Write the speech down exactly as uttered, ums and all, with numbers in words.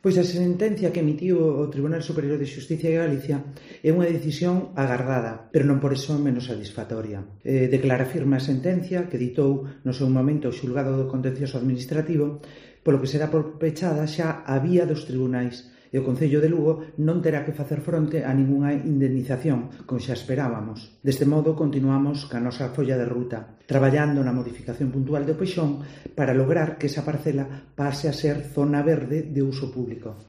Pois a sentencia que emitiu o Tribunal Superior de Xustiza de Galicia é unha decisión agardada, pero non por iso menos satisfactoria. Eh, declara firme a sentencia que ditou no seu momento o xulgado do contencioso administrativo, polo que será por pechada xa a vía dos tribunais, e o Concello de Lugo non terá que facer fronte a ningunha indemnización, como xa esperábamos. Deste modo, continuamos ca nosa folla de ruta, traballando na modificación puntual do Peixón para lograr que esa parcela pase a ser zona verde de uso público.